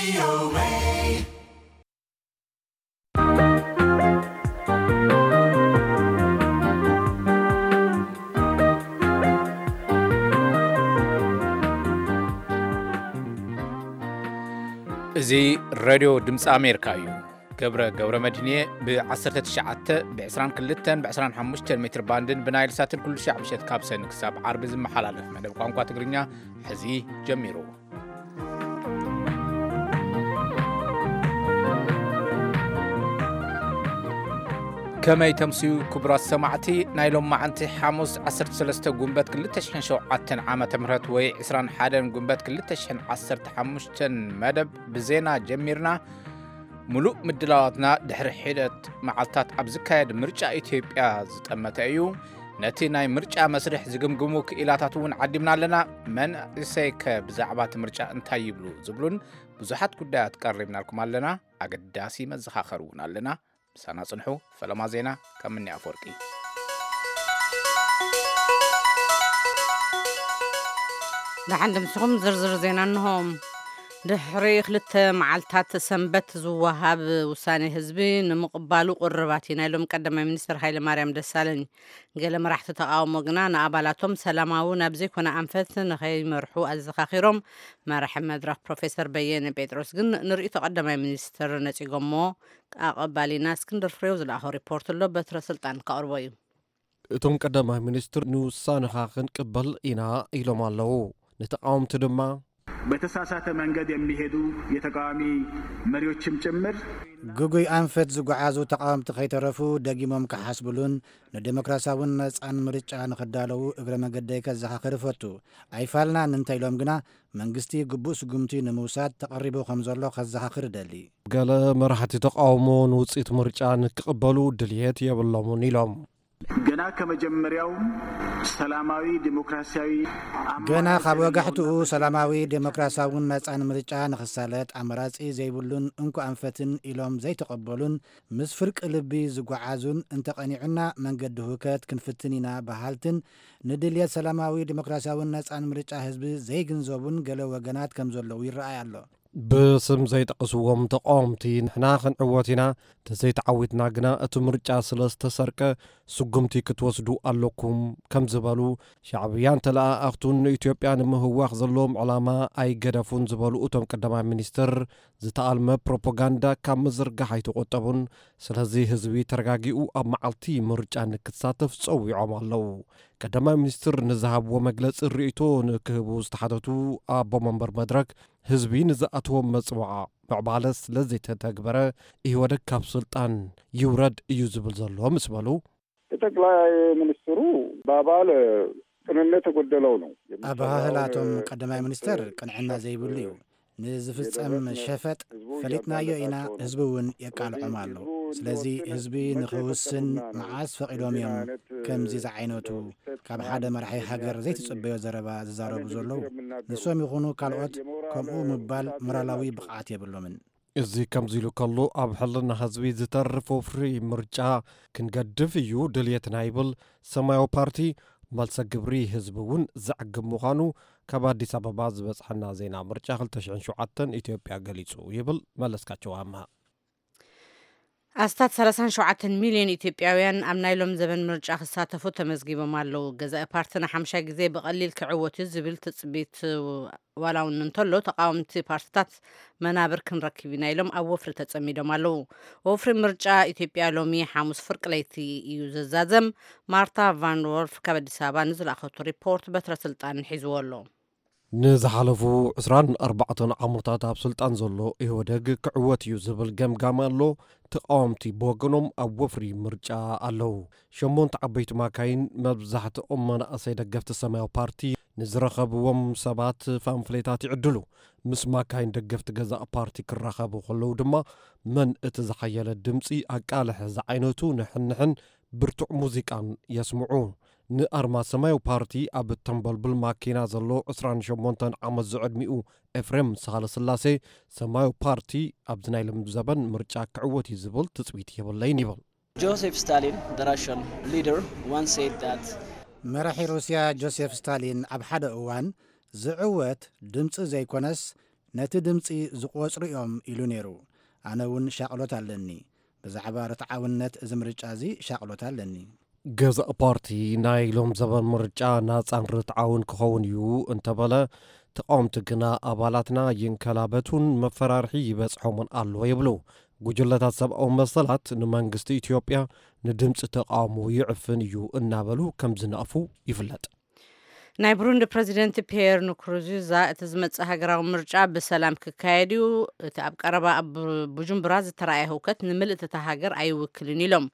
እዚ ሬድዮ ድምፂ ኣሜሪካ እዩ። ገብረ ገብረ መድህንየ ብ19 ብ22 ብ25 ሜትር ባንድን ብናይል ሳትን ኩሉ ሻዕ ምሸት ካብ ሰኒ ክሳብ ዓርቢ ዝመሓላለፍ መደብ ቋንቋ ትግርኛ ሕዚ ጀሚሩ። ከመይ ተምስዩ ክቡራት ሰማዕቲ፣ ናይ ሎም መዓንቲ ሓሙስ 13 ጉንበት 2007 ዓመተ ምህረት ወይ 21 ጉንበት 2015 መደብ ብዜና ጀሚርና። ምሉእ ምድላዋትና ድሕሪ ሒደት መዓልታት ኣብ ዝካየድ ምርጫ ኢትዮጵያ ዝጠመተ እዩ። ነቲ ናይ ምርጫ መስርሕ ዝግምግሙ ክኢላታት እውን ዓዲምና ኣለና። መንእሰይከ ብዛዕባ እቲ ምርጫ እንታይ ይብሉ ዝብሉን ብዙሓት ጉዳያት ቀሪብናልኩም ኣለና። ኣገዳሲ መዘኻኸሪ እውን ኣለና። ምሳና ጽንሑ። ፈለማ ዜና ካብ ምኒ ኣፈወርቂ። ደሓን ድምስኹም ዝርዝር ዜና እንሆ። ድሕሪ ክልተ መዓልታት ሰንበት ዝወሃብ ውሳኔ ህዝቢ ንምቕባሉ ቅርባት ኢና ኢሎም ቀዳማይ ሚኒስትር ሃይለ ማርያም ደሳለኝ። ገለ መራሕቲ ተቃውሞ ግና ንኣባላቶም ሰላማዊ ናብ ዘይኮነ ኣንፈት ንኸይመርሑ ኣዘኻኺሮም። መራሒ መድረኽ ፕሮፌሰር በየነ ጴጥሮስ ግን ንርእይቶ ቀዳማይ ሚኒስትር ነጺጎሞ። ኣቐባሊና እስክንድር ፍሬው ዝለኣኾ ሪፖርት ኣሎ፣ በትረ ስልጣን ከቕርቦ እዩ። እቶም ቀዳማይ ሚኒስትር ንውሳነኻ ክንቅበል ኢና ኢሎም ኣለዉ። ንተቃወምቲ ድማ በተሳሳተ መንገድ የሚሄዱ የተቃዋሚ መሪዎችም ጭምር ግጉይ ኣንፈት ዝጓዓዙ ተቃወምቲ ከይተረፉ ደጊሞም ክሓስብሉን ንዴሞክራሲያውን ነጻን ምርጫ ንኽዳለዉ እግረ መገደይ ከዘኻኽር እፈቱ። ኣይፋልናን እንተኢሎም ግና መንግስቲ ግቡእ ስጉምቲ ንምውሳድ ተቐሪቡ ከም ዘሎ ከዘኻኽር እደሊ። ገለ መራሕቲ ተቃውሞ ንውጽኢት ምርጫ ንክቕበሉ ድልየት የብሎምን ኢሎም። ገና ከመጀመሪያው ሰላማዊ ዴሞክራሲያዊ ገና ካብ ወጋሕትኡ ሰላማዊ ዴሞክራሲያውን ነጻን ምርጫ ንኽሳለጥ ኣማራጺ ዘይብሉን እንኮ ኣንፈትን ኢሎም ዘይተቐበሉን ምስ ፍርቂ ልቢ ዝጓዓዙን እንተቐኒዑና መንገዲ ሁከት ክንፍትን ኢና በሃልትን ንድልየት ሰላማዊ ዴሞክራሲያውን ነጻን ምርጫ ህዝቢ ዘይግንዘቡን ገለ ወገናት ከም ዘለዉ ይረኣይ ኣሎ። ብስም ዘይጠቐስዎም ተቃወምቲ ንሕና ክንዕወት ኢና፣ ተዘይተዓዊትና ግና እቲ ምርጫ ስለ ዝተሰርቀ ስጉምቲ ክትወስዱ ኣለኩም ከም ዝበሉ ሻዕብያን ተለኣኣኽቱን ንኢትዮጵያ ንምህዋኽ ዘለዎም ዕላማ ኣይገደፉን ዝበሉ እቶም ቀዳማይ ሚኒስትር ዝተኣልመ ፕሮፓጋንዳ ካብ ምዝርጋሕ ኣይተቆጠቡን። ስለዚ ህዝቢ ተረጋጊኡ ኣብ መዓልቲ ምርጫ ንክሳተፍ ጸዊዖም ኣለዉ። ቀዳማይ ሚኒስትር ንዝሃብዎ መግለጺ ርእይቶ ንክህቡ ዝተሓተቱ ኣቦ መንበር መድረክ ህዝቢ ንዝኣተዎም መጽዋዓ ምዕባለ ስለ ዘይተተግበረ ኢህወደግ ካብ ስልጣን ይውረድ እዩ ዝብል ዘሎ ምስ በሉ። ጠቅላይ ሚኒስትሩ በአባል ቅንነት የጎደለው ነው። ኣበሃህላቶም ቀዳማይ ሚኒስትር ቅንዕና ዘይብሉ እዩ። ንዝፍጸም ሸፈጥ ፈሊጥናዮ ኢና፣ ህዝቢ እውን የቃልዖም ኣሎ። ስለዚ ህዝቢ ንኽውስን መዓስ ፈቒዶም እዮም ከምዚ ዝዓይነቱ ካብ ሓደ መራሒ ሃገር ዘይትጽበዮ ዘረባ ዝዛረቡ ዘለዉ? ንሶም ይኹኑ ካልኦት ከምኡ ምባል ሞራላዊ ብቕዓት የብሎምን። እዚ ከምዚ ኢሉ ከሎ ኣብ ሕልና ህዝቢ ዝተርፍ ወፍሪ ምርጫ ክንገድፍ እዩ ድልየትና ይብል ሰማያዊ ፓርቲ። መልሰ ግብሪ ህዝቢ እውን ዘዕግብ ምዃኑ ካብ ኣዲስ ኣበባ ዝበጽሐና ዜና ምርጫ 2007 ኢትዮጵያ ገሊጹ ይብል መለስካቸው ኣምሃ። ኣስታት 37 ሚልዮን ኢትዮጵያውያን ኣብ ናይ ሎም ዘበን ምርጫ ክሳተፉ ተመዝጊቦም ኣለዉ። ገዛኢ ፓርቲ ንሓምሻይ ግዜ ብቐሊል ክዕወት እዩ ዝብል ትጽቢት ዋላ እውን እንተሎ ተቃወምቲ ፓርትታት መናብር ክንረክብ ኢና ኢሎም ኣብ ወፍሪ ተጸሚዶም ኣለዉ። ወፍሪ ምርጫ ኢትዮጵያ ሎሚ ሓሙስ ፍርቂ ለይቲ እዩ ዝዛዘም። ማርታ ቫን ዎልፍ ካብ ኣዲስ ኣበባ ንዝለኣኸቱ ሪፖርት በትረ ስልጣን ሒዝዎ ኣሎ። ንዝሓለፉ 24 ዓመታት ኣብ ስልጣን ዘሎ ኢህወደግ ክዕወት እዩ ዝብል ገምጋም ኣሎ። ተቃወምቲ ብወገኖም ኣብ ወፍሪ ምርጫ ኣለዉ። ሸሞንተ ዓበይቲ ማካይን መብዛሕትኦም መናእሰይ ደገፍቲ ሰማያዊ ፓርቲ ንዝረኸብዎም ሰባት ፋምፍሌታት ይዕድሉ። ምስ ማካይን ደገፍቲ ገዛእ ፓርቲ ክራኸቡ ከለዉ ድማ መን እቲ ዝሓየለ ድምፂ ኣቃልሕ ዝዓይነቱ ንሕንሕን ብርቱዕ ሙዚቃን የስምዑ። ንኣርማ ሰማያዊ ፓርቲ ኣብ እተንበልብል ማኪና ዘሎ 28 ዓመት ዝዕድሚኡ ኤፍሬም ሳህለስላሴ ሰማያዊ ፓርቲ ኣብዚ ናይ ልምዲ ዘበን ምርጫ ክዕወት እዩ ዝብል ትፅቢት የብለይን ይብል። Joseph Stalin, the Russian leader, once said that መራሒ ሩስያ ጆሴፍ ስታሊን ኣብ ሓደ እዋን ዝዕወት ድምፂ ዘይኮነስ ነቲ ድምጺ ዝቖጽሩ እዮም ኢሉ ነይሩ። ኣነ እውን ሻቕሎት ኣለኒ። ብዛዕባ ርትዓውነት እዚ ምርጫ እዚ ሻቕሎት ኣለኒ። ገዛእ ፓርቲ ናይ ሎም ዘበን ምርጫ ናጻን ርትዓውን ክኸውን እዩ እንተበለ፣ ተቃወምቲ ግና ኣባላትና ይንከላበቱን መፈራርሒ ይበጽሖምን ኣሎ ይብሉ። ጉጅለታት ሰብኣዊ መሰላት ንመንግስቲ ኢትዮጵያ ንድምፂ ተቃውሞ ይዕፍን እዩ እናበሉ ከም ዝነቕፉ ይፍለጥ። ናይ ብሩንዲ ፕረዚደንት ፒየር ንኩሩንዚዛ እቲ ዝመጽእ ሃገራዊ ምርጫ ብሰላም ክካየድ እዩ፣ እቲ ኣብ ቀረባ ኣብ ቡ- ቡጁምቡራ ዝተረኣየ ህውከት ንምልእቲ እታ ሃገር ኣይውክልን ኢሎም።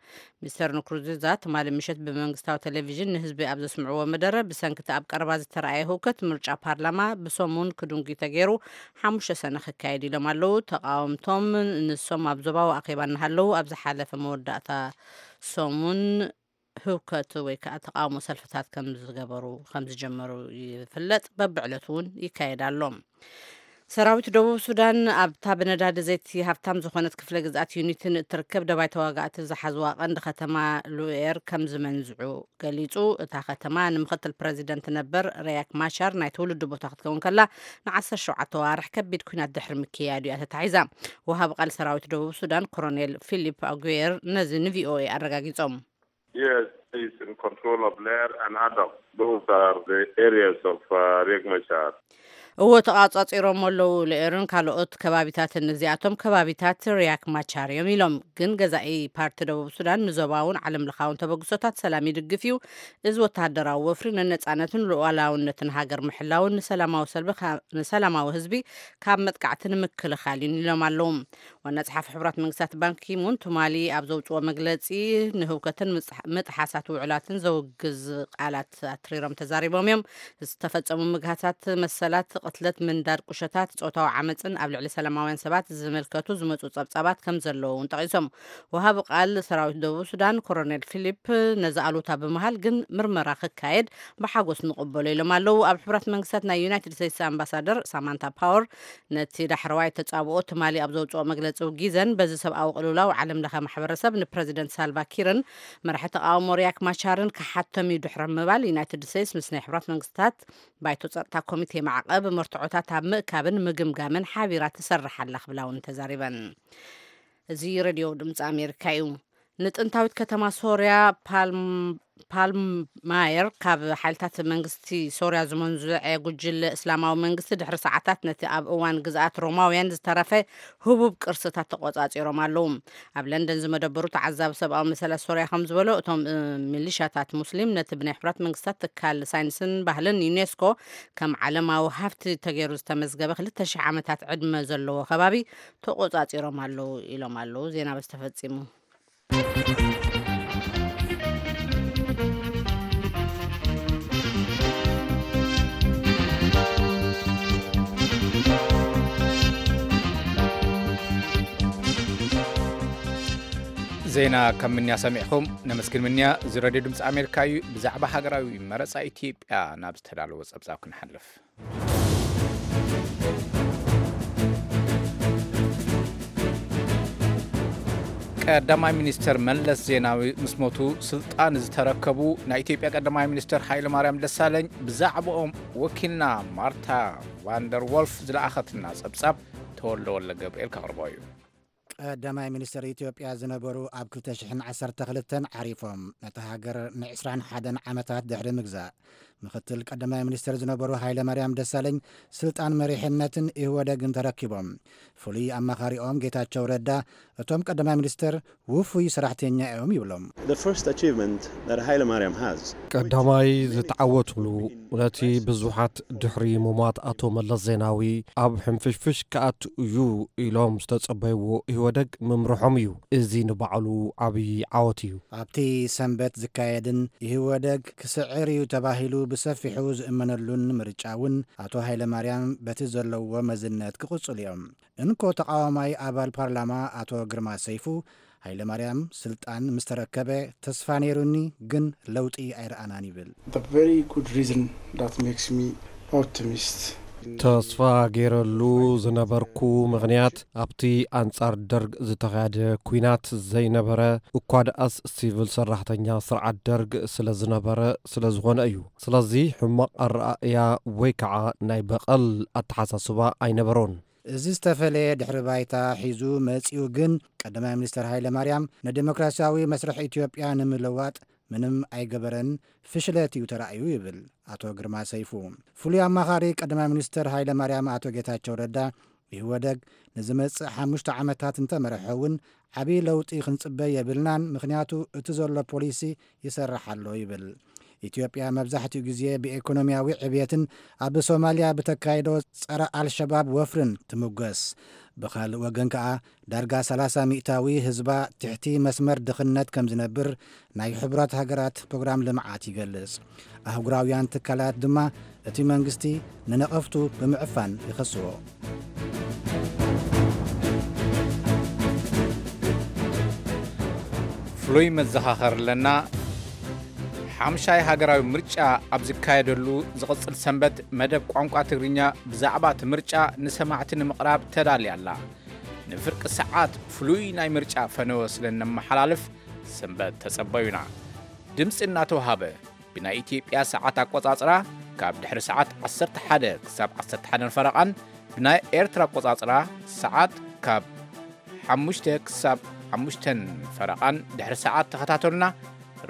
ሚስተር ንኩሩንዚዛ ትማሊ ምሸት ብመንግስታዊ ቴሌቪዥን ንህዝቢ ኣብ ዘስምዕዎ መደረ፣ ብሰንኪ እቲ ኣብ ቀረባ ዝተረኣየ ህውከት ምርጫ ፓርላማ ብሰሙን ክድንጉ ተገይሩ ሓሙሽተ ሰነ ክካየድ ኢሎም ኣለዉ። ተቃወምቶም ንሶም ኣብ ዞባዊ ኣኼባ እናሃለዉ ኣብ ዝሓለፈ መወዳእታ ሰሙን ህውከት ወይ ከዓ ተቃውሞ ሰልፍታት ከም ዝገበሩ ከም ዝጀመሩ ይፍለጥ። በብዕለቱ እውን ይካየድ ኣሎ። ሰራዊት ደቡብ ሱዳን ኣብታ ብነዳዲ ዘይቲ ሃብታም ዝኾነት ክፍለ ግዝኣት ዩኒትን እትርከብ ደባይ ተዋጋእቲ ዝሓዝዋ ቀንዲ ከተማ ሉኤር ከም ዝመንዝዑ ገሊጹ። እታ ከተማ ንምክትል ፕረዚደንት ነበር ሪያክ ማቻር ናይ ትውልዲ ቦታ ክትከውን ከላ፣ ን ዓሰርተ ሸውዓተ ዋርሕ ከቢድ ኲናት ድሕሪ ምክያዱ እያ ተታሒዛ። ወሃቢ ቃል ሰራዊት ደቡብ ሱዳን ኮሎኔል ፊሊፕ ኣጉየር ነዚ ንቪኦኤ ኣረጋጊጾም። Yes, he's in control of Lair and Adab. Those are the areas of uh, Riek Machar. እዎ፣ ተቋጻጺሮም ኣለዉ። ለኤርን ካልኦት ከባቢታትን፣ እዚኣቶም ከባቢታት ሪያክ ማቻር እዮም ኢሎም። ግን ገዛኢ ፓርቲ ደቡብ ሱዳን ንዞባውን ዓለም ለኻውን ተበግሶታት ሰላም ይድግፍ እዩ። እዚ ወተሃደራዊ ወፍሪ ንነጻነትን ሉዓላውነትን ሃገር ምሕላውን ንሰላማዊ ሰልቢ ካ- ንሰላማዊ ህዝቢ ካብ መጥቃዕቲ ንምክልኻል እዩ ኢሎም ኣለዉ። ዋና ጸሓፊ ሕቡራት መንግስታት ባንኪሙን ትማሊ ኣብ ዘውጽኦ መግለጺ፣ ንህውከትን ምጽሕ- ምጥሓሳት ውዕላትን ዘውግዝ ቃላት ኣትሪሮም ተዛሪቦም እዮም። ዝተፈጸሙ ምግሃሳት መሰላት፣ ቅትለት፣ ምንዳድ ቁሸታት፣ ጾታዊ ዓመጽን ኣብ ልዕሊ ሰላማውያን ሰባት ዝምልከቱ ዝመጹ ጸብጻባት ከም ዘለዉ እውን ጠቒሶም። ወሃቢ ቃል ሰራዊት ደቡብ ሱዳን ኮሎኔል ፊሊፕ ነዚ ኣሉታ ብምሃብ ግን ምርመራ ክካየድ ብሓጎስ ንቕበሎ ኢሎም ኣለዉ። ኣብ ሕቡራት መንግስታት ናይ ዩናይትድ ስቴትስ ኣምባሳደር ሳማንታ ፓወር ነቲ ዳሕረዋይ ተጻብኦ ትማሊ ኣብ ዘውጽኦ መግለጺ ውጊዘን፣ በዚ ሰብኣዊ ቅልውላው ዓለም ለኸ ማሕበረሰብ ንፕረዚደንት ሳልቫ ኪርን መራሒ ተቃውሞ ሪያክ ማቻርን ክሓቶም እዩ ድሕሪ ምባል፣ ዩናይትድ ስቴትስ ምስ ናይ ሕቡራት መንግስታት ባይቶ ጸጥታ ኮሚቴ ማዕቐብ መርትዖታት ኣብ ምእካብን ምግምጋምን ሓቢራ ትሰርሕ ኣላ ክብላ እውን ተዛሪበን። እዚ ሬድዮ ድምፂ ኣሜሪካ እዩ። ንጥንታዊት ከተማ ሶርያ ፓልም- ፓልማየር ካብ ሓይልታት መንግስቲ ሶርያ ዝመንዝዐ ጉጅለ እስላማዊ መንግስቲ ድሕሪ ሰዓታት ነቲ ኣብ እዋን ግዝኣት ሮማውያን ዝተረፈ ህቡብ ቅርስታት ተቆጻጺሮም ኣለዉ። ኣብ ለንደን ዝመደበሩ ተዓዛቢ ሰብኣዊ መሰላት ሶርያ ከም ዝበሎ፣ እቶም እ፣ ሚሊሻታት ሙስሊም ነቲ ብናይ ሕቡራት መንግስታት ትካል ሳይንስን ባህልን ዩኔስኮ ከም ዓለማዊ ሃፍቲ ተገይሩ ዝተመዝገበ ክልተ ሽሕ ዓመታት ዕድመ ዘለዎ ከባቢ ተቆጻጺሮም ኣለዉ ኢሎም ኣለዉ። ዜና በዚ ተፈጺሙ። ዜና ካብ ምንያ ሰሚዕኹም ነመስግን። ምንያ፣ እዚ ሬድዮ ድምፂ ኣሜሪካ እዩ። ብዛዕባ ሃገራዊ መረፃ ኢትዮጵያ ናብ ዝተዳለወ ፀብፃብ ክንሓልፍ። ቀዳማይ ሚኒስተር መለስ ዜናዊ ምስ ሞቱ ስልጣን ዝተረከቡ ናይ ኢትዮጵያ ቀዳማይ ሚኒስተር ሃይለማርያም ደሳለኝ ብዛዕባኦም ወኪልና ማርታ ቫንደር ዎልፍ ዝለኣኸትና ጸብጻብ ተወልደ ወልደ ገብርኤል ከቕርቦ እዩ። ቀዳማይ ሚኒስተር ኢትዮጵያ ዝነበሩ ኣብ ክልተ ሽሕን ዓሰርተ ክልተን ዓሪፎም፣ ነታ ሃገር ንዕስራን ሓደን ዓመታት ድሕሪ ምግዛእ፣ ምኽትል ቀዳማይ ሚኒስተር ዝነበሩ ሃይለማርያም ደሳለኝ ስልጣን መሪሕነትን ኢህወደግን ተረኪቦም። ፍሉይ ኣማኻሪኦም ጌታቸው ረዳ፣ እቶም ቀዳማይ ሚኒስተር ውፉይ ሰራሕተኛ እዮም ይብሎም። The first achievement that Haile Mariam has ቀዳማይ ዝተዓወትሉ፣ ነቲ ብዙሓት ድሕሪ ምሟት ኣቶ መለስ ዜናዊ ኣብ ሕንፍሽፍሽ ክኣቱ እዩ ኢሎም ዝተጸበይዎ ኢህወደግ ምምርሖም እዩ። እዚ ንባዕሉ ዓብዪ ዓወት እዩ። ኣብቲ ሰንበት ዝካየድን ኢህወደግ ክስዕር እዩ ተባሂሉ ብሰፊሑ ዝእመነሉን ምርጫ እውን ኣቶ ሃይለማርያም በቲ ዘለዎ መዝነት ክቕጽሉ እዮም። እንኮ ተቓዋማይ ኣባል ፓርላማ ኣቶ ግርማ ሰይፉ፣ ሃይለማርያም ስልጣን ምስ ተረከበ ተስፋ ነይሩኒ፣ ግን ለውጢ ኣይረኣናን ይብል። The very good reason that makes me optimist ተስፋ ገይረሉ ዝነበርኩ ምኽንያት ኣብቲ ኣንጻር ደርግ ዝተኻየደ ኲናት ዘይነበረ፣ እኳ ደኣስ ሲቪል ሰራሕተኛ ስርዓት ደርግ ስለ ዝነበረ ስለ ዝኾነ እዩ። ስለዚ ሕማቕ ኣረኣእያ ወይ ከዓ ናይ በቐል ኣተሓሳስባ ኣይነበሮን። እዚ ዝተፈለየ ድሕሪ ባይታ ሒዙ መጺኡ ግን ቀዳማይ ሚኒስተር ሃይለ ማርያም ንዴሞክራሲያዊ መስርሕ ኢትዮጵያ ንምልዋጥ ምንም ኣይገበረን፣ ፍሽለት እዩ ተራእዩ ይብል ኣቶ ግርማ ሰይፉ። ፍሉይ ኣማኻሪ ቀዳማይ ሚኒስተር ሃይለ ማርያም ኣቶ ጌታቸው ረዳ፣ ኢህወደግ ንዝመጽእ ሓሙሽተ ዓመታት እንተመርሐ እውን ዓብዪ ለውጢ ክንጽበ የብልናን፣ ምኽንያቱ እቲ ዘሎ ፖሊሲ ይሰርሕ ኣሎ ይብል። ኢትዮጵያ መብዛሕትኡ ግዜ ብኤኮኖሚያዊ ዕብየትን ኣብ ሶማልያ ብተካይዶ ጸረ ኣልሸባብ ወፍርን ትምጎስ። ብኻልእ ወገን ከኣ ዳርጋ ሰላሳ ሚእታዊ ህዝባ ትሕቲ መስመር ድኽነት ከም ዝነብር ናይ ሕቡራት ሃገራት ፕሮግራም ልምዓት ይገልጽ። ኣህጉራውያን ትካላት ድማ እቲ መንግስቲ ንነቐፍቱ ብምዕፋን ይኸስዎ። ፍሉይ መዘኻኸሪ ኣለና። ሓምሻይ ሃገራዊ ምርጫ ኣብ ዝካየደሉ ዝቕጽል ሰንበት መደብ ቋንቋ ትግርኛ ብዛዕባ እቲ ምርጫ ንሰማዕቲ ንምቕራብ ተዳልያ ኣላ። ንፍርቂ ሰዓት ፍሉይ ናይ ምርጫ ፈነወ ስለ እነመሓላልፍ ሰንበት ተጸበዩና። ድምጺ እናተውሃበ ብናይ ኢትዮጵያ ሰዓት ኣቆጻጽራ ካብ ድሕሪ ሰዓት ዓሰርተ ሓደ ክሳብ ዓሰርተ ሓደን ፈረቓን፣ ብናይ ኤርትራ ኣቆጻጽራ ሰዓት ካብ ሓሙሽተ ክሳብ ሓሙሽተን ፈረቓን ድሕሪ ሰዓት ተኸታተሉና።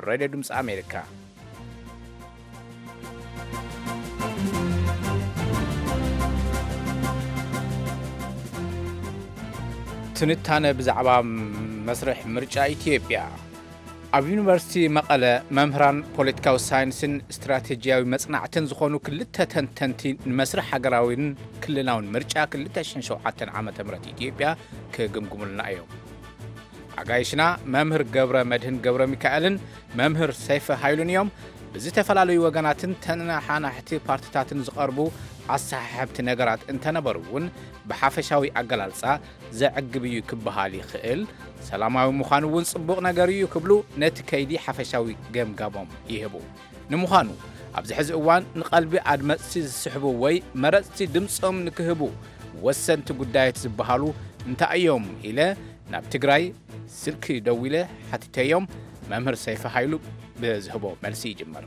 ሬድዮ ድምፂ ኣሜሪካ። ትንታነ ብዛዕባ መስርሕ ምርጫ ኢትዮጵያ። ኣብ ዩኒቨርሲቲ መቐለ መምህራን ፖለቲካዊ ሳይንስን ስትራቴጂያዊ መጽናዕትን ዝኾኑ ክልተ ተንተንቲ ንመስርሕ ሃገራዊን ክልላውን ምርጫ ክልተ ሽሕን ሸውዓተን ዓመተ ምህረት ኢትዮጵያ ክግምግሙልና እዮም። ኣጋይሽና መምህር ገብረ መድህን ገብረ ሚካኤልን መምህር ሰይፈ ሃይሉን እዮም። ብዝተፈላለዩ ወገናትን ተነሓናሕቲ ፓርቲታትን ዝቐርቡ ኣሰሓሕብቲ ነገራት እንተነበሩ እውን ብሓፈሻዊ ኣገላልጻ ዘዕግብ እዩ ክበሃል ይኽእል። ሰላማዊ ምዃን እውን ጽቡቕ ነገር እዩ ክብሉ ነቲ ከይዲ ሓፈሻዊ ገምጋሞም ይህቡ። ንምዃኑ ኣብዚ ሕዚ እዋን ንቐልቢ ኣድመፅቲ ዝስሕቡ ወይ መረፅቲ ድምፆም ንክህቡ ወሰንቲ ጉዳያት ዝበሃሉ እንታይ እዮም ኢለ ናብ ትግራይ ስልኪ ደዊለ ሓቲተዮም። መምህር ሰይፈ ሃይሉ ብዝህቦ መልሲ ይጅምር።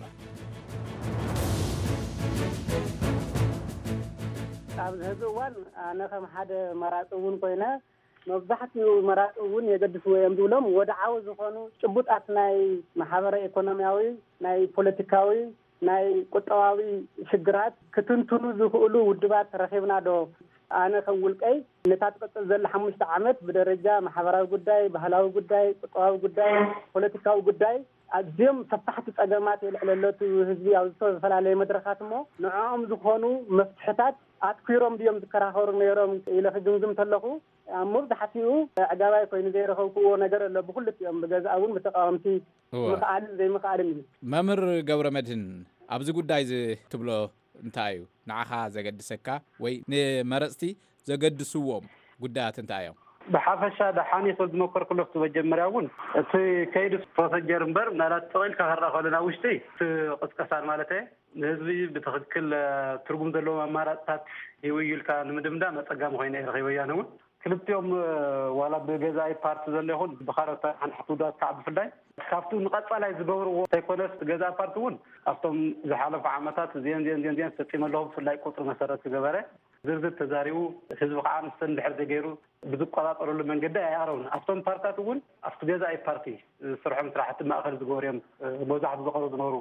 ኣብዚ ሕዚ እዋን ኣነ ከም ሓደ መራፂ እውን ኮይነ መብዛሕትኡ መራፂ እውን የገድስዎ እዮም ዝብሎም ወድዓዊ ዝኾኑ ጭቡጣት ናይ ማሕበረ ኢኮኖሚያዊ፣ ናይ ፖለቲካዊ፣ ናይ ቁጠባዊ ሽግራት ክትንትኑ ዝኽእሉ ውድባት ረኺብና ዶ? ኣነ ከም ውልቀይ ነታ ትቕፅል ዘላ ሓሙሽተ ዓመት ብደረጃ ማሕበራዊ ጉዳይ፣ ባህላዊ ጉዳይ፣ ቁጠባዊ ጉዳይ፣ ፖለቲካዊ ጉዳይ ኣዝዮም ሰፋሕቲ ፀገማት የልዕለለቱ ህዝቢ ኣብ ዝተፈላለየ መድረኻት እሞ ንዕኦም ዝኾኑ መፍትሕታት ኣትኲሮም ድዮም ዝከራኸሩ ነይሮም ኢለ ክግምግም ተለኹ ኣብ መብዛሕትኡ ኣዕጋባይ ኮይኑ ዘይረኸብክዎ ነገር ኣሎ ብክልቲኦም ብገዛእ እውን ብተቃወምቲ እወ። ምኽኣልን ዘይምኽኣልን እዩ። መምህር ገብረ መድህን ኣብዚ ጉዳይ እዚ ትብሎ እንታይ እዩ ንዓኻ ዘገድሰካ ወይ ንመረፅቲ ዘገድስዎም ጉዳያት እንታይ እዮም? ብሓፈሻ ደሓን እዩ ክብል ዝመከርኩ ኣለኹ እቲ መጀመርያ እውን እቲ ከይዲ ፕሮሰጀር እምበር ምናልባት ጥቕኢልካ ክረኣ ከሎ ናብ ውሽጢ እቲ ቅስቀሳን ማለት እየ ንህዝቢ ብትኽክል ትርጉም ዘለዎም ኣማራፅታት ሂቡ እዩ ኢልካ ንምድምዳም ኣፀጋሚ ኮይነ እየ ረኺበዮ ኣነ እውን ክልቲኦም ዋላ ብገዛኢ ፓርቲ ዘሎ ይኹን ብካልኦት ተሓናሕቲ ውድባት ከዓ ብፍላይ ካብቲ ንቐፃላይ ዝገብርዎ እንተይኮነስ ገዛኢ ፓርቲ እውን ኣብቶም ዝሓለፉ ዓመታት እዚአን እዚአን እዚአን እዚአን ፈፂመ ኣለኹ ብፍላይ ቁፅሪ መሰረት ዝገበረ ዝርዝር ተዛሪቡ ህዝቢ ከዓ ምስተን ድሕር ዘይገይሩ ብዝቆፃፀረሉ መንገዲ ኣይኣረውን ኣብቶም ፓርታት እውን ኣብቲ ገዛኢ ፓርቲ ዝስርሖም ስራሕቲ ማእኸል ዝገበሩ እዮም መብዛሕቱ ዝቐርቡ ዝነበሩ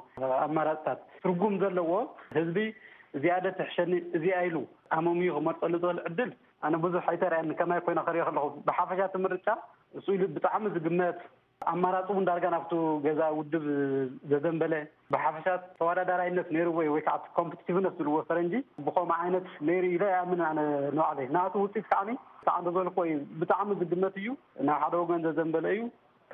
ኣማራፅታት ትርጉም ዘለዎ ህዝቢ እዚኣ ደ ትሕሸኒ እዚኣ ኢሉ ኣመምዩ ክመርፀሉ ዝኽእል ዕድል ኣነ ብዙሕ ኣይተርኣየኒ ከማይ ኮይነ ክሪኦ ከለኹ ብሓፈሻ እቲ ምርጫ እሱ ኢሉ ብጣዕሚ ዝግመት ኣማራፂ እውን ዳርጋ ናብቱ ገዛ ውድብ ዘዘንበለ ብሓፈሻ ተወዳዳራይነት ነይርዎ እዩ ወይ ከዓ ኮምፒቲቲቭነት ዝብልዎ ፈረንጂ ብከምኡ ዓይነት ነይሩ ኢለ ኣይኣምንን ኣነ ንባዕለይ ናቱ ውፅኢት ከዓ ከዓ እንደዘልኮ እዩ ብጣዕሚ ዝግመት እዩ ናብ ሓደ ወገን ዘዘንበለ እዩ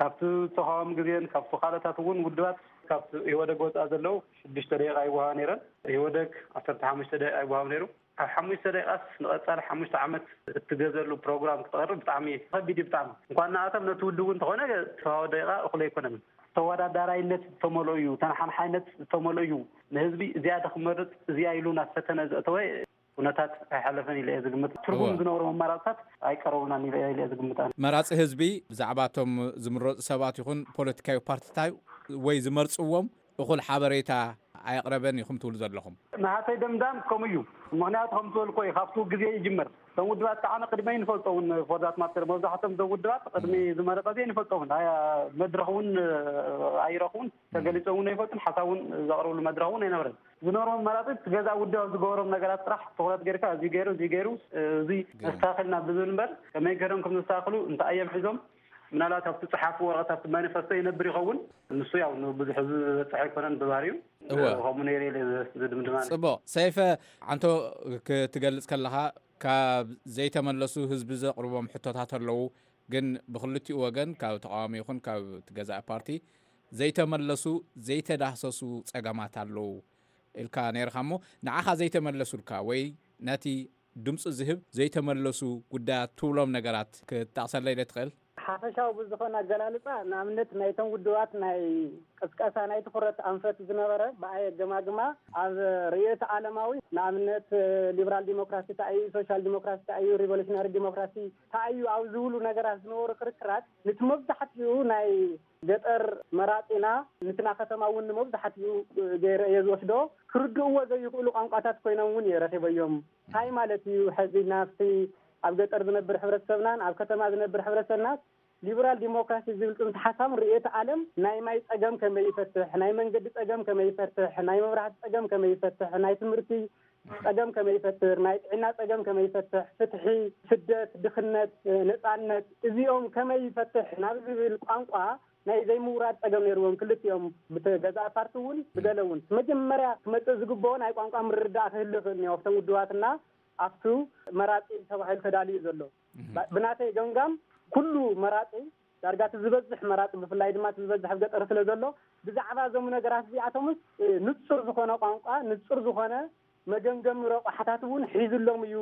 ካብቲ ተቃዋሚ ግዜን ካብቲ ካልኦታት እውን ውድባት ካብ ኢህወደግ ወፃእ ዘለዉ ሽዱሽተ ደቂቃ ይወሃባ ነይረን ኢህወደግ ዓሰርተ ሓሙሽተ ደቂቃ ይወሃብ ነይሩ ካብ ሓሙሽተ ደቂቃስ ንቐፃሊ ሓሙሽተ ዓመት እትገዘሉ ፕሮግራም ክተቕርብ ብጣዕሚ ከቢድ እዩ ብጣዕሚ እንኳን ንኣቶም ነቲ ውድብ እውን እንተኾነ ተዋወ ደቂቃ እኹል ኣይኮነን ተወዳዳራይነት ዝተመልኦ እዩ ተነሓንሓይነት ዝተመልኦ እዩ ንህዝቢ እዚኣ ዶ ክመርፅ እዚኣ ኢሉ ናብ ፈተነ ዘእተወ ኩነታት ኣይሓለፈን ኢለ እየ ዝግምት። ትርጉም ዝነብሮም ኣማራፅታት ኣይቀረቡናን ኢለ እየ ዝግምት። መራፂ ህዝቢ ብዛዕባ እቶም ዝምረፁ ሰባት ይኹን ፖለቲካዊ ፓርቲታት ወይ ዝመርፅዎም እኹል ሓበሬታ ኣየቕረበን ኢኹም ትብሉ ዘለኹም። ናሃተይ ደምዳም ከምኡ እዩ። ምክንያቱ ከም ዝበልኮ እዩ፣ ካብቲ ግዜ ይጅምር። እቶም ውድባት ከዓ ቅድመይ ንፈልጦ እውን፣ ፎርዛት ማተር መብዛሕቶም እዞም ውድባት ቅድሚ ዝመረቀ ዜ ንፈልጦ እውን መድረክ እውን ኣይረኽቡን፣ ተገሊፆም እውን ኣይፈልጡን፣ ሓሳብ እውን ዘቕርብሉ መድረክ እውን ኣይነበረን። ዝነበሮም መራፂ ገዛ ውድብ ኣብ ዝገበሮም ነገራት ጥራሕ ትኩረት ገይርካ፣ እዚ ገይሩ እዚ ገይሩ እዚ ነስተካክል ናብ ዝብል እምበር፣ ከመይ ገይሮም ከም ዘስተካክሉ እንታይ እዮም ሒዞም፣ ምናልባት ኣብቲ ፀሓፉ ወረቐት ኣብቲ ማኒፈስቶ ይነብር ይኸውን። ንሱ ያው ንብዙሕ ህዝቢ ዝበፅሕ ኣይኮነን ብባህሪኡ። እወ። ከምኡ ነይሩ ኢለ ዝድምድማ። ፅቡቕ ሰይፈ፣ ዓንቶ፣ ክትገልፅ ከለኻ ካብ ዘይተመለሱ ህዝቢ ዘቕርቦም ሕቶታት ኣለዉ፣ ግን ብክልቲኡ ወገን ካብ ተቃዋሚ ይኹን ካብ ገዛኢ ፓርቲ ዘይተመለሱ ዘይተዳህሰሱ ፀገማት ኣለዉ ኢልካ ነይርካ እሞ፣ ንዓኻ ዘይተመለሱልካ ወይ ነቲ ድምፂ ዝህብ ዘይተመለሱ ጉዳያት ትብሎም ነገራት ክትጠቕሰለይ ዶ ትኽእል? ሓፈሻዊ ብዝኾነ ኣገላልፃ፣ ንኣብነት ናይቶም ውድባት ናይ ቅስቀሳ ናይ ትኹረት ኣንፈት ዝነበረ ብኣይ ኣገማግማ ኣብ ርእዮተ ዓለማዊ፣ ንኣብነት ሊበራል ዲሞክራሲ እንታይ እዩ፣ ሶሻል ዲሞክራሲ እንታይ እዩ፣ ሪቮሉሽነሪ ዲሞክራሲ እንታይ እዩ ኣብ ዝብሉ ነገራት ዝነበሩ ክርክራት፣ ንቲ መብዛሕትኡ ናይ ገጠር መራፂና፣ ንትና ከተማ እውን ንመብዛሕትኡ ገይረ እየ ዝወስዶ። ክርድእዎ ዘይኽእሉ ቋንቋታት ኮይኖም እውን እየ ረኺበዮም። እንታይ ማለት እዩ? ሕዚ ናብቲ ኣብ ገጠር ዝነብር ሕብረተሰብናን ኣብ ከተማ ዝነብር ሕብረተሰብናን ሊበራል ዲሞክራሲ ዝብል ፅንሰ ሓሳብን ርእዮተ ዓለም ናይ ማይ ፀገም ከመይ ይፈትሕ፣ ናይ መንገዲ ፀገም ከመይ ይፈትሕ፣ ናይ መብራህቲ ፀገም ከመይ ይፈትሕ፣ ናይ ትምህርቲ ፀገም ከመይ ይፈትር፣ ናይ ጥዕና ፀገም ከመይ ይፈትሕ፣ ፍትሒ፣ ስደት፣ ድኽነት፣ ነፃነት፣ እዚኦም ከመይ ይፈትሕ ናብ ዝብል ቋንቋ ናይ ዘይምውራድ ፀገም ነይርዎም ክልቲኦም፣ ብገዛእ ፓርቲ እውን ብገለ እውን። መጀመርያ ክመፅእ ዝግብኦ ናይ ቋንቋ ምርድዳእ ክህሉ ይኽእል እኒኦ ኣብቶም ውድባትና ኣብቱ መራፂ ተባሂሉ ተዳልዩ ዘሎ። ብናተይ ገምጋም ኩሉ መራፂ ዳርጋ እቲ ዝበዝሕ መራፂ ብፍላይ ድማ እቲ ዝበዝሕ ኣብ ገጠር ስለ ዘሎ ብዛዕባ እዞም ነገራት እዚኣቶምስ ንፁር ዝኾነ ቋንቋ ንፁር ዝኾነ መገምገሚ ረቋሕታት እውን ሒዙሎም እዩ።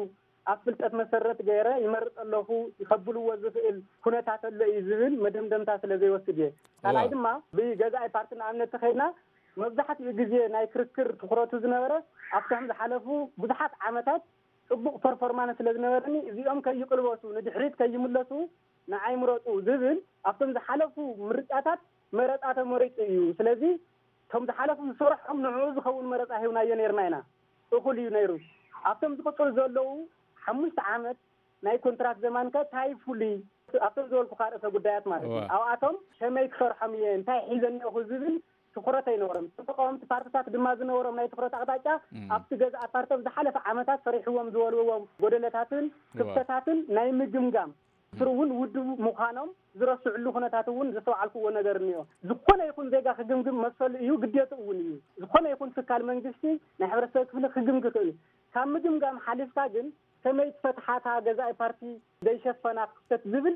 ኣብ ፍልጠት መሰረት ገይረ ይመርፅ ኣለኹ ከብልዎ ዝኽእል ኩነታት ኣሎ እዩ ዝብል መደምደምታ ስለ ዘይወስድ እየ። ካልኣይ ድማ ብገዛኢ ፓርቲ ንኣብነት ተኸይድና መብዛሕትኡ ግዜ ናይ ክርክር ትኹረቱ ዝነበረ ኣብቶም ዝሓለፉ ብዙሓት ዓመታት ፅቡቕ ፐርፎርማንስ ስለ ዝነበረኒ እዚኦም ከይቅልበሱ ንድሕሪት ከይምለሱ ንዓይ ምረፁ ዝብል ኣብቶም ዝሓለፉ ምርጫታት መረፃ ተመሪፁ እዩ። ስለዚ እቶም ዝሓለፉ ዝሰርሖም ንዕኡ ዝኸውን መረፃ ሂብናዮ ነይርና ኢና። እኹል እዩ ነይሩ። ኣብቶም ዝቕፅሉ ዘለዉ ሓሙሽተ ዓመት ናይ ኮንትራት ዘማን ከ ታይ ፍሉይ? ኣብቶም ዝበልኩኻ ርእሰ ጉዳያት ማለት እዩ። ኣብኣቶም ከመይ ክሰርሖም እየ፣ እንታይ ሒዘ እኒኦኹ ዝብል ትኹረት ኣይነበሮም። እቶም ተቃወምቲ ፓርትታት ድማ ዝነበሮም ናይ ትኹረት ኣቕጣጫ ኣብቲ ገዛእ ፓርቲ ኣብ ዝሓለፈ ዓመታት ሰሪሕዎም ዝበልዎም ጎደለታትን ክፍተታትን ናይ ምግምጋም ስሩ እውን ውድብ ምዃኖም ዝረስዕሉ ኩነታት እውን ዘስተውዓልክዎ ነገር እኒኦ። ዝኾነ ይኹን ዜጋ ክግምግም መሰሉ እዩ፣ ግዴትኡ እውን እዩ። ዝኾነ ይኹን ትካል መንግስቲ ናይ ሕብረተሰብ ክፍሊ ክግምግ ይኽእል እዩ። ካብ ምግምጋም ሓሊፍካ ግን ከመይ ትፈትሓ እታ ገዛኢ ፓርቲ ዘይሸፈና ክፍተት ዝብል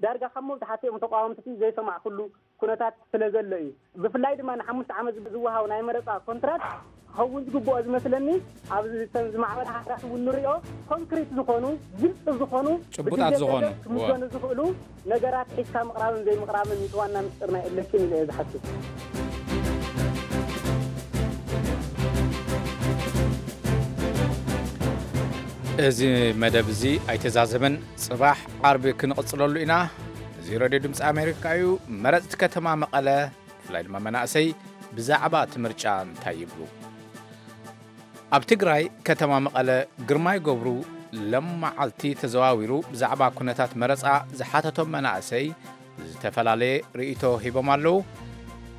ዳርጋ ካብ መብዛሕትኦም ተቃወምቲ ዘይሰማዕኩሉ ኩነታት ስለ ዘሎ እዩ። ብፍላይ ድማ ንሓሙሽተ ዓመት ዝወሃብ ናይ መረፃ ኮንትራት ክኸውን ዝግብኦ ዝመስለኒ ኣብ ዝተን ዝማዕበላ ሃገራት እውን ንሪኦ ኮንክሪት ዝኾኑ ግልፂ ዝኾኑ ጭቡጣት ዝኾኑ ክምዘኑ ዝኽእሉ ነገራት ሒዝካ ምቕራብን ዘይምቕራብን እቲ ዋና ምስጢር ናይ ኤሌክሽን ኢለ እየ ዝሓስብ። እዚ መደብ እዚ ኣይተዛዘመን። ጽባሕ ዓርቢ ክንቕጽለሉ ኢና። እዚ ሬድዮ ድምፂ ኣሜሪካ እዩ። መረፅቲ ከተማ መቐለ ብፍላይ ድማ መናእሰይ ብዛዕባ እቲ ምርጫ እንታይ ይብሉ? ኣብ ትግራይ ከተማ መቐለ ግርማይ ገብሩ ሎም መዓልቲ ተዘዋዊሩ ብዛዕባ ኩነታት መረፃ ዝሓተቶም መናእሰይ ዝተፈላለየ ርእይቶ ሂቦም ኣለዉ።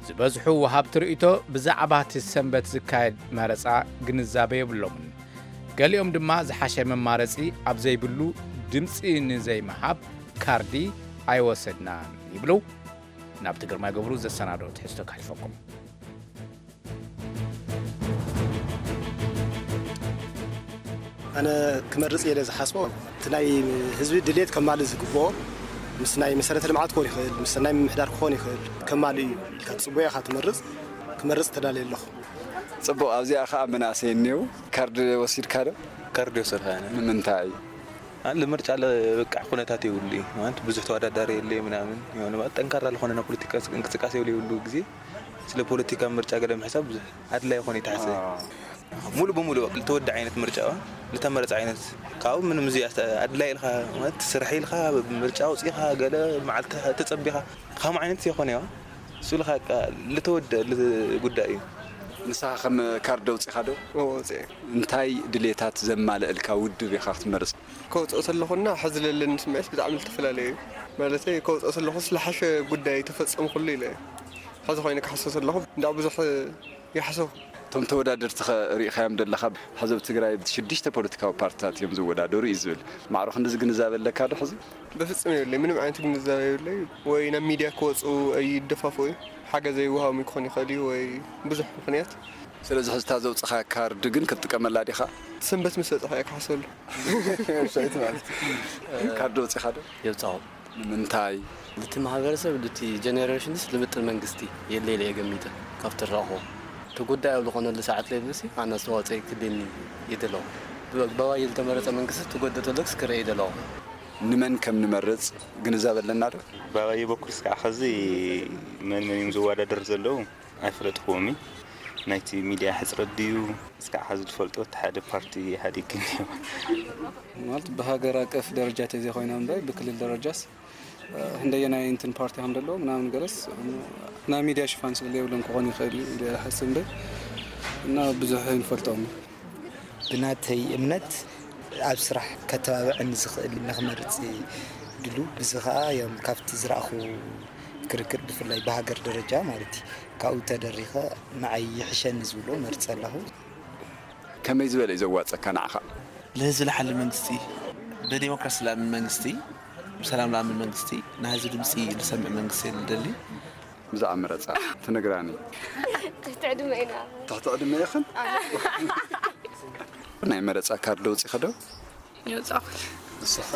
ዝበዝሑ ወሃብቲ ርእይቶ ብዛዕባ እቲ ሰንበት ዝካየድ መረፃ ግንዛበ የብሎምን። ገሊኦም ድማ ዝሓሸ መማረፂ ኣብ ዘይብሉ ድምፂ ንዘይምሃብ ካርዲ ኣይወሰድናን ይብሉ። ናብቲ ግርማይ ገብሩ ዘሰናዶ ትሕዝቶ ከሕልፈኩም። ኣነ ክመርፅ እየ ዝሓስቦ እቲ ናይ ህዝቢ ድሌት ከማልእ ዝግብኦ ምስ ናይ መሰረተ ልምዓት ክኾን ይኽእል ምስ ናይ ምምሕዳር ክኾን ይኽእል ከማልእ እዩ ኢልካ ትፅበዮ ኢኻ ትመርፅ ክመርፅ ተዳልየ ኣለኹ። ፅቡቕ ኣብዚኣ ከዓ መናእሰይ እኒው ካርድ ወሲድካ ዶ? ካርድ ወሰድካ ንምንታይ? ኣለ ምርጫ ለበቃሕ ኩነታት የብሉ እዩ ማለት ብዙሕ ተወዳዳሪ የለ ምናምን የሆነ ማለት ጠንካራ ለኾነ ናይ ፖለቲካ እንቅስቃሴ የብሉ የብሉ ግዜ ስለ ፖለቲካ ምርጫ ገለ ምሕሳብ ብዙሕ ኣድላይ ይኾነ ይተሓሰ ሙሉ ብሙሉ ዝተወደ ዓይነት ምርጫ ዝተመረፀ ዓይነት ካብኡ ምንም እዚ ኣድላይ ኢልካ ማለት ትስራሕ ኢልካ ምርጫ ኣውፂኻ ገለ መዓልቲ ተፀቢኻ ከም ዓይነት ይኾነ ዋ እሱ ኢልካ ዝተወደ ጉዳይ እዩ። ንስኻ ከም ካርድ ኣውፂኻ ዶ እንታይ ድሌታት ዘማልእልካ ውድብ ኢኻ ክትመርፅ? ከውፅኦ ዘለኹና ሕዚ ዘለኒ ስምዒት ብጣዕሚ ዝተፈላለዩ እዩ። ማለተይ ከውፅኦ ዘለኹ ስለሓሸ ጉዳይ ተፈፀምኩሉ ኢለ እየ። ሕዚ ኮይነ ክሓስብ ዘለኹ እንዳ ብዙሕ ይሓስብ። እቶም ተወዳደርቲ ኸ ርኢኻዮም ደለኻ? ሕዚ ኣብ ትግራይ ሽዱሽተ ፖለቲካዊ ፓርትታት እዮም ዝወዳደሩ እዩ ዝብል። ማዕሮ ክንድዚ ግንዛበ ኣለካ ዶ ሕዚ? በፍፅም የብለይ። ምንም ዓይነት ግንዛበ የብለይ። ወይ ናብ ሚድያ ክወፁ ኣይደፋፍኡ እዩ። ሓገዝ ኣይወሃቦም ክኾን ይኽእል እዩ ወይ ብዙሕ ምኽንያት። ስለዚ ሕዚ እታ ዘውፅኻ ካርድ ግን ክትጥቀመላ ዲኻ? ሰንበት ምስ በፅሐ እየ ክሓስበሉ። ካርድ ወፂኻ ዶ? የውፃኹ። ንምንታይ? ልቲ ማህበረሰብ ልቲ ጀነሬሽንስ ልምጥን መንግስቲ የለ ኢለ እየ ገሚተ ካብቲ ረእኹ እቲ ጉዳይ ኣብ ዝኾነሉ ሰዓት ለይብልሲ ኣነ ኣስተዋፅኦ ክልኒ ይደለኹ ብባባየ ዝተመረፀ መንግስቲ ትጎደ ተለክስ ክርኢ ይደለኹ። ንመን ከም ንመርፅ ግንዛበ ኣለና ዶ? ባባየ በኩል እስካዕ ኸዚ መን መን እዮም ዝወዳደር ዘለዉ ኣይፈለጥክዎም እዩ። ናይቲ ሚድያ ሕፅረት ድዩ እስካዕ ኸዚ ዝፈልጦ እቲ ሓደ ፓርቲ ኢህኣዴግ ግን እዩ። ማለት ብሃገር ኣቀፍ ደረጃ ተዘይኮይና እምበር ብክልል ደረጃስ ህንደየናይ እንትን ፓርቲ ከም ዘለዎ ምናምን ገለስ ናይ ሚድያ ሽፋን ስለ የብሎም ክኾን ይኽእል እዩ ኢለ ይሓስብ እምበር እና ብዙሕ ኣይንፈልጦም። ብናተይ እምነት ኣብ ስራሕ ከተባብዐኒ ዝኽእል ንኽመርፅ ድሉ ብዚ ከዓ ዮም ካብቲ ዝረኣኹ ክርክር ብፍላይ ብሃገር ደረጃ ማለት እዩ ካብኡ ተደሪኸ ንዓይ ይሕሸኒ ዝብሎ መርፀ ኣለኹ። ከመይ ዝበለ እዩ ዘዋፀካ ንዓኻ? ንህዝቢ ዝሓሊ መንግስቲ፣ ብዴሞክራሲ ዝኣምን መንግስቲ፣ ብሰላም ዝኣምን መንግስቲ፣ ናይ ህዝቢ ድምፂ ዝሰምዕ መንግስቲ እየ ዝደሊ። ብዛዕባ መረፃ ትነግራኒ? ትሕቲ ዕድመ ኢና። ትሕቲ ዕድመ ኢኽን? ናይ መረፃ ካርድ ኣውፂኺ ዶ? የውፃእኹ። ንስኸ?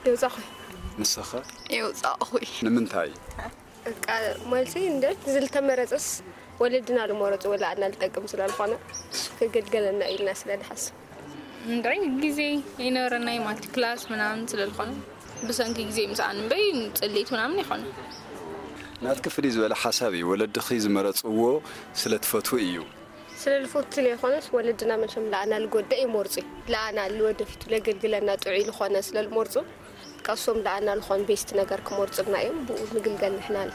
የውፃእኹ። ንስኸ? የውፃእኹ። ንምንታይ? በቃ ማለት እንደ ዝተመረፀስ ወለድና ልመረፁ ወላ ኣና ልጠቅም ስለልኾነ ክገልገለና ኢልና ስለንሓስብ። እንድዒ ግዜ ይነበረናይ ማለት ክላስ ምናምን ስለልኾነ ብሰንኪ ግዜ ምሳኣን እምበይ ፅልኢት ምናምን ይኾነ። ናትኪ ፍልይ ዝበለ ሓሳብ እዩ። ወለድኺ ዝመረፅዎ ስለ ትፈትዊ እዩ። ስለ ልፈቱ ዘይኮነስ ወለድና መቸም ለኣና ልጎደእ ይመርፁ እዩ። ለኣና ልወደፊቱ ለገልግለና ጥዑይ ልኾነ ስለ ልመርፁ ከሶም ለኣና ልኾን ቤስት ነገር ክመርፁልና እዮም። ብኡ ንግልገል ንሕና ለ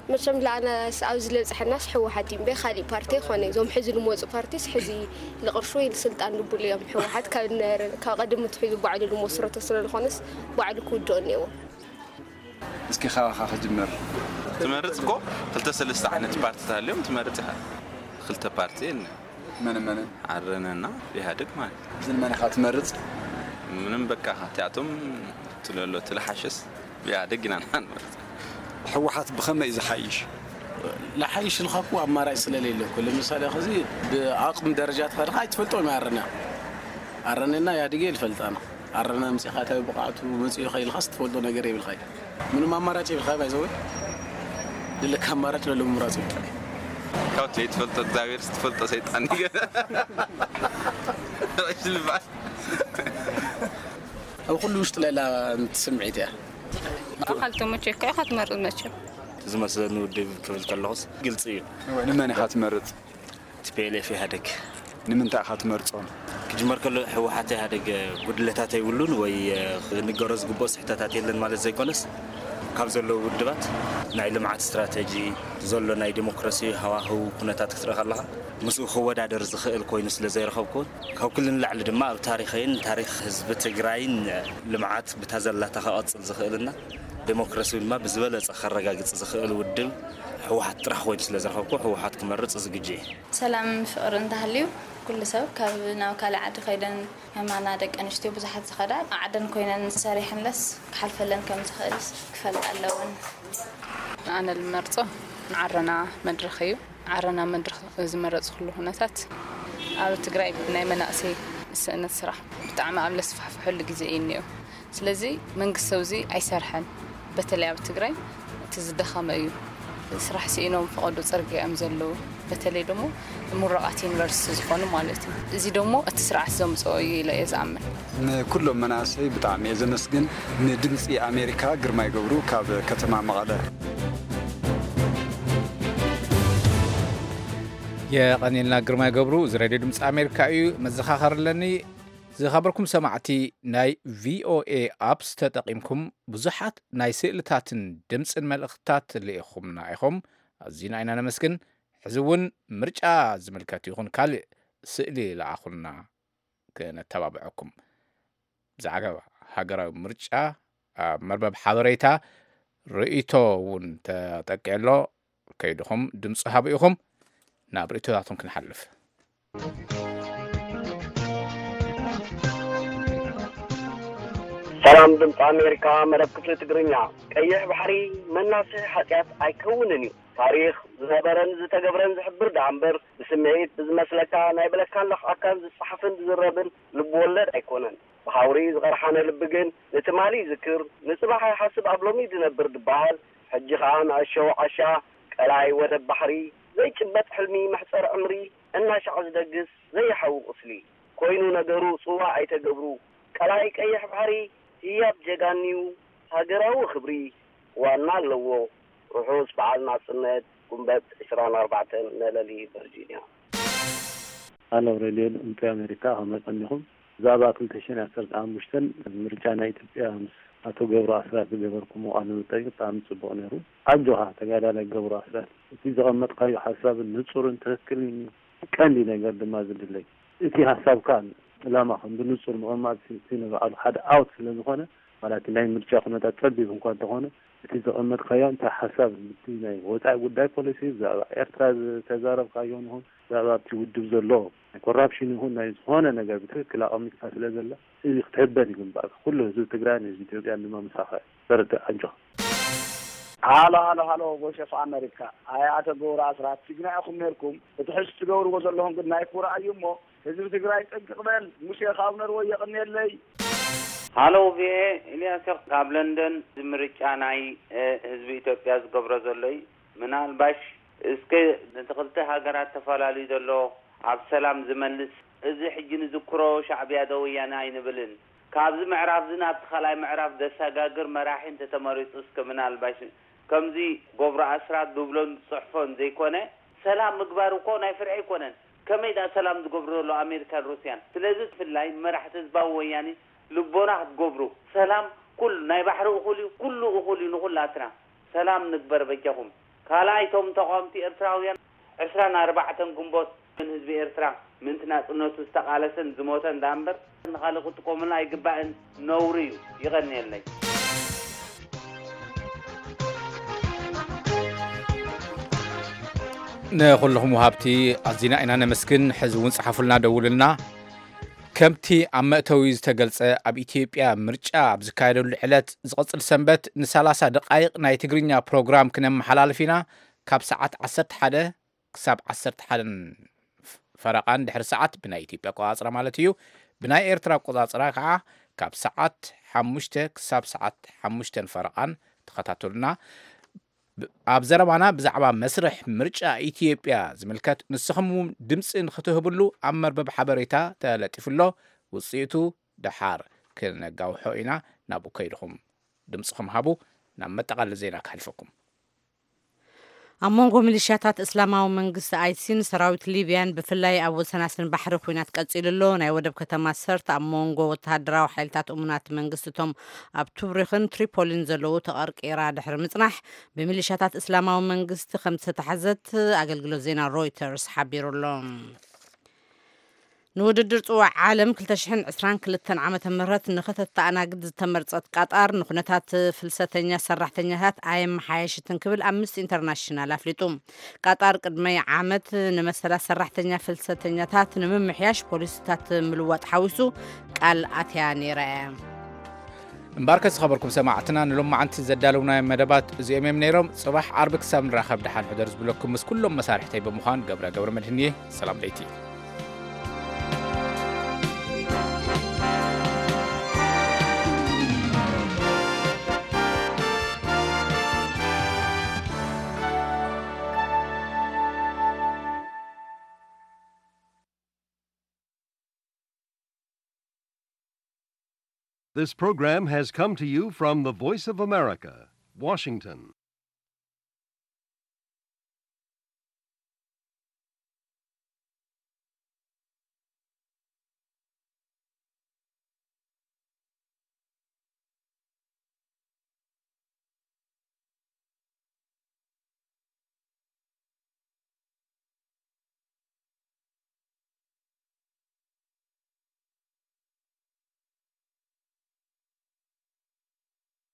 መቸም ለኣናስ ኣብዚ ለብፅሐናስ ህወሓት እዩ እምበይ ካሊእ ፓርቲ ኣይኮነ። እዞም ሕዚ ልመፁ ፓርቲስ ሕዚ ልቕርሺ ወይ ልስልጣን ልቡሉ እዮም። ህወሓት ካብ ነ- ካብ ቀደም ትሒዙ ባዕሉ ልመስረቶ ስለ ዝኾነስ ባዕሉ ክውድኦ እኒአዎ። እስኪ ካባኻ ክጅምር። ትመርፅ እኮ ክልተ ሰለስተ ዓይነት ፓርትታት ኣለዮም ትመርፅ ኢኻ። ክልተ ፓርቲ የለ መን መንን? ዓረናና ኢህኣደግ ማለት እዩ። ግን መን ኢኻ ትመርፅ? ምንም በቃ እቲኣቶም ትለሎ ትልሓሸስ ኢህኣደግ ኢና ንሓን ማለት እዩ። ህወሓት ብኸመይ እዩ ዝሓይሽ? ልሓይሽ ኢልካ እኮ ኣማራጭ ስለሌለ እኮ ለምሳሌ ኸዚ ብኣቕሚ ደረጃ ተኸድካ ኣይትፈልጦም ኣረና ኣረነና ኢህኣደግ እየ ዝፈልጣና ኣረና ምፂኻ እንታይ ብቕዓቱ መፂኡ ኸ ኢልካስ ትፈልጦ ነገር የብልካ እዩ ምንም ኣማራጭ የብልካ ባይዘወይ ድልካ ኣማራጭ ለሎ ምምራፅ እዩ ካብ ዘይትፈልጦ እግዚኣብሔር ዝትፈልጦ ሰይጣን ይገ ልባል ኣብ ኩሉ ውሽጢ ለላ ስምዒት እያ ብኣኻል ተመቸካ ኢኻ ትመርፅ መቸም ዝመስለኒ ውድብ ክብል ከለኹስ ግልፂ እዩ ንመን ኢኻ ትመርፅ ቲፒኤልኤፍ ኢህኣደግ ንምንታይ ኢኻ ትመርፆም ክጅመር ከሎ ህወሓት ኢህኣደግ ጉድለታት የብሉን ወይ ክንገሮ ዝግብኦ ስሕተታት የለን ማለት ዘይኮነስ ካብ ዘለዉ ውድባት ናይ ልምዓት ስትራተጂ ዘሎ ናይ ዲሞክራሲ ሃዋህው ኩነታት ክትርኢ ከለኻ ምስኡ ክወዳደር ዝኽእል ኮይኑ ስለ ዘይረኸብኩ ካብ ኩሉ ንላዕሊ ድማ ኣብ ታሪኸይን ታሪኽ ህዝቢ ትግራይን ልምዓት ብታ ዘላታ ከቐፅል ዝኽእልና ዴሞክራሲ ድማ ብዝበለፀ ከረጋግፅ ዝኽእል ውድብ ህወሓት ጥራሕ ኮይኑ ስለ ዝረኸብኩ ህወሓት ክመርፅ ዝግጁ እየ። ሰላምን ፍቕርን እንተሃልዩ ኩሉ ሰብ ካብ ናብ ካልእ ዓዲ ከይደን ከማና ደቂ ኣንስትዮ ብዙሓት ዝኸዳ ዓደን ኮይነን ሰሪሐንለስ ክሓልፈለን ከም ዝኽእል ክፈልጣ ኣለወን። ንኣነ ልመርጾ ንዓረና መድረኽ እዩ። ዓረና መድረኽ ዝመረጽኩሉ ኩነታት ኣብ ትግራይ ናይ መናእሰይ ስእነት ስራሕ ብጣዕሚ ኣብ ለስፋሕፍሐሉ ግዜ እዩ እኒኦ። ስለዚ መንግስቲ ኣብዚ ኣይሰርሐን። በተለይ ኣብ ትግራይ እቲ ዝደኸመ እዩ። ስራሕ ስኢኖም ፈቐዶ ፅርግያ እዮም ዘለዉ። በተለይ ደሞ ምሩቓት ዩኒቨርሲቲ ዝኾኑ ማለት እዩ። እዚ ደሞ እቲ ስርዓት ዘምፅኦ እዩ ኢለ እየ ዝኣምን። ንኩሎም መናእሰይ ብጣዕሚ እየ ዘመስግን። ንድምፂ ኣሜሪካ ግርማይ ገብሩ ካብ ከተማ መቐለ። የቐኒልና ግርማይ ገብሩ፣ እዚ ሬድዮ ድምፂ ኣሜሪካ እዩ። መዘኻኸር ኣለኒ። ዝኸበርኩም ሰማዕቲ፣ ናይ ቪኦኤ ኣፕስ ተጠቒምኩም ብዙሓት ናይ ስእልታትን ድምፅን መልእኽትታት ልኢኹምና ኢኹም። ኣዚና ኢና ነመስግን። ሕዚ እውን ምርጫ ዝምልከት ይኹን ካልእ ስእሊ ለኣኹልና፣ ክነተባብዐኩም። ብዛዕባ ሃገራዊ ምርጫ ኣብ መርበብ ሓበሬታ ርእይቶ እውን ተጠቂዑ ኣሎ። ከይድኹም ድምፂ ሃቡ ኢኹም። ናብ ርእይቶታቶም ክንሓልፍ። ሰላም ድምፂ ኣሜሪካ፣ መደብ ክፍሊ ትግርኛ። ቀይሕ ባሕሪ መናስሒ ሓጢኣት ኣይከውንን እዩ። ታሪኽ ዝነበረን ዝተገብረን ዝሕብር ደኣ እምበር፣ ብስምዒት ብዝመስለካ ናይ ብለካን ለኽዓካን ዝጸሓፍን ዝዝረብን ልብ ወለድ ኣይኮነን። ብሃውሪ ዝቐርሓነ ልቢ ግን ንትማሊ ይዝክር፣ ንጽባሕ ኣይሓስብ ኣብ ሎሚ ዝነብር ዝበሃል። ሕጂ ኸኣ ንኣሸው ዓሻ ቀላይ ወደብ ባሕሪ ዘይጭበጥ ሕልሚ መሕጸር ዕምሪ እናሻዕ ዝደግስ ዘይሓዊ ቁስሊ ኮይኑ ነገሩ ጽዋእ ኣይተገብሩ። ቀላይ ቀይሕ ባሕሪ ህያብ ጀጋኒዩ ሃገራዊ ክብሪ ዋና ኣለዎ። ርሑስ በዓል ናጽነት ጉንበት ዕስራን ኣርባዕተን ነለሊ ቨርጂንያ። ኣሎ ሬድዮ ድምፂ ኣሜሪካ ከመይ ቀኒኹም? ብዛዕባ ክልተ ሽሕን ዓሰርተ ሓሙሽተን ምርጫ ናይ ኢትዮጵያ ምስ ኣቶ ገብሩ ኣስራት ዝገበርኩሞ ቃለ መጠይቅ ብጣዕሚ ፅቡቅ ነይሩ። ኣጆኻ ተጋዳላይ ገብሩ ኣስራት፣ እቲ ዘቐመጥካዮ ሓሳብን ንፁርን ትክክልን ቀንዲ ነገር ድማ ዝድለይ እቲ ሓሳብካን ዕላማኻን ብንፁር ምቕማጥ እቲ ንባዕሉ ሓደ ዓወት ስለ ዝኾነ፣ ማለት ናይ ምርጫ ኩነታት ፀቢብ እንኳ እንተኾነ እቲ ዘቐመጥካዮ እንታይ ሓሳብ እቲ ናይ ወፃኢ ጉዳይ ፖሊሲ ብዛዕባ ኤርትራ ዝተዛረብካዮ ንኹን ብዛዕባ ኣብቲ ውድብ ዘሎ ናይ ኮራፕሽን ይኹን ናይ ዝኾነ ነገር ብትክክል ኣቐሚጥካ ስለ ዘላ እዚ ክትሕበን ይግባእካ። ኩሉ ህዝቢ ትግራይን ህዝቢ ኢትዮጵያን ድማ ምሳኻ እዩ። በርትዕ ኣጆኻ። ሃሎ ሃሎ ሃሎ፣ ቮይስ ኦፍ ኣሜሪካ። ኣይ ኣቶ ገብሩ ኣስራት፣ ትግና ኢኹም ነርኩም። እቲ ሕዚ ትገብርዎ ዘለኹም ግን ናይ ኩራ እዩ እሞ ህዝቢ ትግራይ ጥንቅቕ በል። ሙሴ ካብ ነርወ የቕንየለይ። ሃሎ ቪኤ፣ ኢልያስ ካብ ለንደን። እዚ ምርጫ ናይ ህዝቢ ኢትዮጵያ ዝገብሮ ዘሎ እዩ። ምናልባሽ እስከ ነቲ ክልተ ሃገራት ተፈላልዩ ዘሎ ኣብ ሰላም ዝመልስ፣ እዚ ሕጂ ንዝክሮ ሻዕብያ ዶ ወያነ ኣይንብልን። ካብዚ ምዕራፍ እዚ ናብቲ ካልኣይ ምዕራፍ ዘሰጋግር መራሒ እንተተመሪፁ እስከ ምናልባሽ ከምዚ ገብሩ ኣስራት ዝብሎን ዝፅሕፎን ዘይኮነ ሰላም ምግባር እኮ ናይ ፍርሒ ኣይኮነን። ከመይ ደኣ ሰላም ዝገብሩ ዘሎ ኣሜሪካን ሩስያን። ስለዚ ብፍላይ መራሕቲ ህዝባዊ ወያነ ልቦና ክትገብሩ፣ ሰላም ኩሉ ናይ ባሕሪ እኹል እዩ፣ ኩሉ እኹል እዩ ንኹላትና። ሰላም ንግበር በጃኹም። ካልኣይ እቶም ተቓወምቲ ኤርትራውያን ዕስራን ኣርባዕተን ግንቦት ንህዝቢ ኤርትራ ምእንቲ ናጽነቱ ዝተቓለሰን ዝሞተን ደኣ እምበር ንኻልእ ክትጥቀሙልና ኣይግባእን፣ ነውሪ እዩ። ይቐንየለይ። ንኹልኹም ወሃብቲ ኣዚና ኢና ነመስግን። ሕዚ እውን ጸሓፉልና፣ ደውሉልና። ከምቲ ኣብ መእተዊ ዝተገልጸ፣ ኣብ ኢትዮጵያ ምርጫ ኣብ ዝካየደሉ ዕለት ዝቕጽል ሰንበት ንሰላሳ ደቓይቕ ናይ ትግርኛ ፕሮግራም ክነመሓላልፍ ኢና። ካብ ሰዓት ዓሰርተ ሓደ ክሳብ ዓሰርተ ሓደን ፈረቓን ድሕሪ ሰዓት ብናይ ኢትዮጵያ ኣቆጻጽራ ማለት እዩ። ብናይ ኤርትራ ኣቆጻጽራ ከዓ ካብ ሰዓት ሓሙሽተ ክሳብ ሰዓት ሓሙሽተን ፈረቓን ተኸታተሉና። ብ-፣ ኣብ ዘረባና ብዛዕባ መስርሕ ምርጫ ኢትዮጵያ ዝምልከት ንስኹም እውን ድምፂ ንክትህብሉ ኣብ መርበብ ሓበሬታ ተለጢፉ ኣሎ። ውፅኢቱ ደሓር ክነጋውሖ ኢና። ናብኡ ከይድኹም ድምፅኹም ሃቡ። ናብ መጠቓለሊ ዜና ክሓልፈኩም። ኣብ መንጎ ሚሊሽያታት እስላማዊ መንግስቲ ኣይሲን ሰራዊት ሊብያን ብፍላይ ኣብ ወሰናስን ባሕሪ ኲናት ቀጺሉ ኣሎ። ናይ ወደብ ከተማ ሰርት ኣብ መንጎ ወተሃደራዊ ሓይልታት እሙናት መንግስቲ እቶም ኣብ ቱብሪኽን ትሪፖሊን ዘለዉ ተቐርቂራ ድሕሪ ምጽናሕ ብሚሊሽያታት እስላማዊ መንግስቲ ከም ዝተታሕዘት ኣገልግሎት ዜና ሮይተርስ ሓቢሩ ኣሎ። ንውድድር ጽዋዕ ዓለም ክልተ ሽሕን ዕስራን ክልተን ዓመተ ምህረት ንኸተተኣናግድ ዝተመርጸት ቃጣር ንኹነታት ፍልሰተኛ ሰራሕተኛታት ኣየመሓየሽትን ክብል ኣምነስቲ ኢንተርናሽናል ኣፍሊጡ። ቃጣር ቅድሚ ዓመት ንመሰላት ሰራሕተኛ ፍልሰተኛታት ንምምሕያሽ ፖሊሲታት ምልዋጥ ሓዊሱ ቃል ኣትያ ነይራ እያ። እምበኣርከ ዝኸበርኩም ሰማዕትና ንሎማዓንቲ ዘዳለውናዮም መደባት እዚኦም እዮም ነይሮም። ጽባሕ ዓርቢ ክሳብ ንራኸብ ደሓን ሕደር ዝብለኩም ምስ ኩሎም መሳርሕተይ ብምዃን ገብረ ገብረ መድህን እየ። ሰላም ለይቲ። This program has come to you from the Voice of America, Washington.